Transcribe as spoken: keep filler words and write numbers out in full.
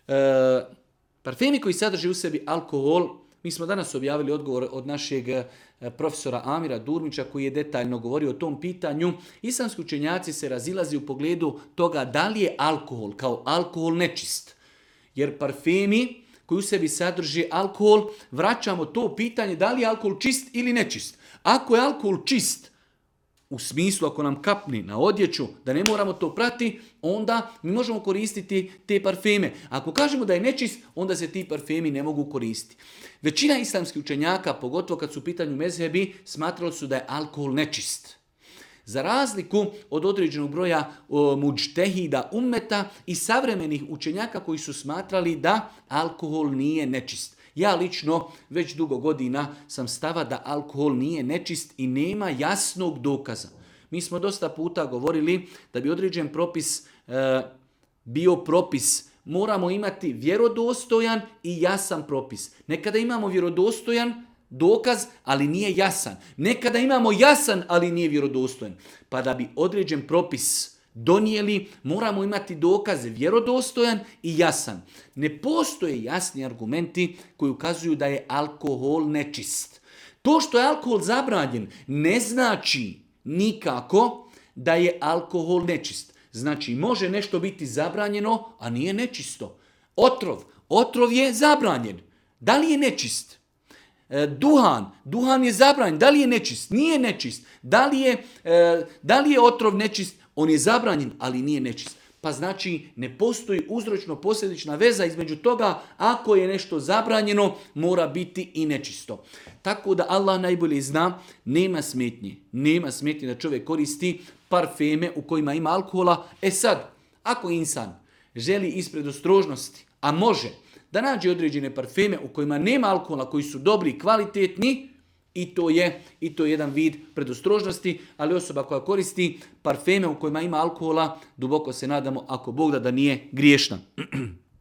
E, parfemi koji sadrže u sebi alkohol, mi smo danas objavili odgovor od našeg e, profesora Amira Durmića koji je detaljno govorio o tom pitanju. Islamski učenjaci se razilazi u pogledu toga da li je alkohol kao alkohol nečist. Jer parfemi koji u sebi sadrži alkohol, vraćamo to pitanje da li je alkohol čist ili nečist. Ako je alkohol čist, u smislu ako nam kapni na odjeću, da ne moramo to prati, onda mi možemo koristiti te parfeme. Ako kažemo da je nečist, onda se ti parfemi ne mogu koristiti. Većina islamskih učenjaka, pogotovo kad su u pitanju mezhebi, smatrali su da je alkohol nečist. Za razliku od određenog broja o, muđtehida ummeta i savremenih učenjaka koji su smatrali da alkohol nije nečist. Ja lično već dugo godina sam stava da alkohol nije nečist i nema jasnog dokaza. Mi smo dosta puta govorili da bi određen propis e, bio propis. Moramo imati vjerodostojan i jasan propis. Nekada imamo vjerodostojan dokaz, ali nije jasan. Nekada imamo jasan, ali nije vjerodostojan. Pa da bi određen propis donijeli, moramo imati dokaze vjerodostojan i jasan. Ne postoje jasni argumenti koji ukazuju da je alkohol nečist. To što je alkohol zabranjen ne znači nikako da je alkohol nečist. Znači može nešto biti zabranjeno, a nije nečisto. Otrov. Otrov je zabranjen. Da li je nečist? E, duhan. Duhan je zabranjen. Da li je nečist? Nije nečist. Da li je, e, da li je otrov nečist? On je zabranjen, ali nije nečist. Pa znači ne postoji uzročno-posljedična veza između toga ako je nešto zabranjeno, mora biti i nečisto. Tako da Allah najbolje zna, nema smetnje. Nema smetnje da čovjek koristi parfeme u kojima ima alkohola. E sad, ako insan želi iz predostrožnosti, a može, da nađe određene parfeme u kojima nema alkohola, koji su dobri i kvalitetni, I to je i to je jedan vid predostrožnosti, ali osoba koja koristi parfeme u kojima ima alkohola, duboko se nadamo, ako Bog da, da nije griješna.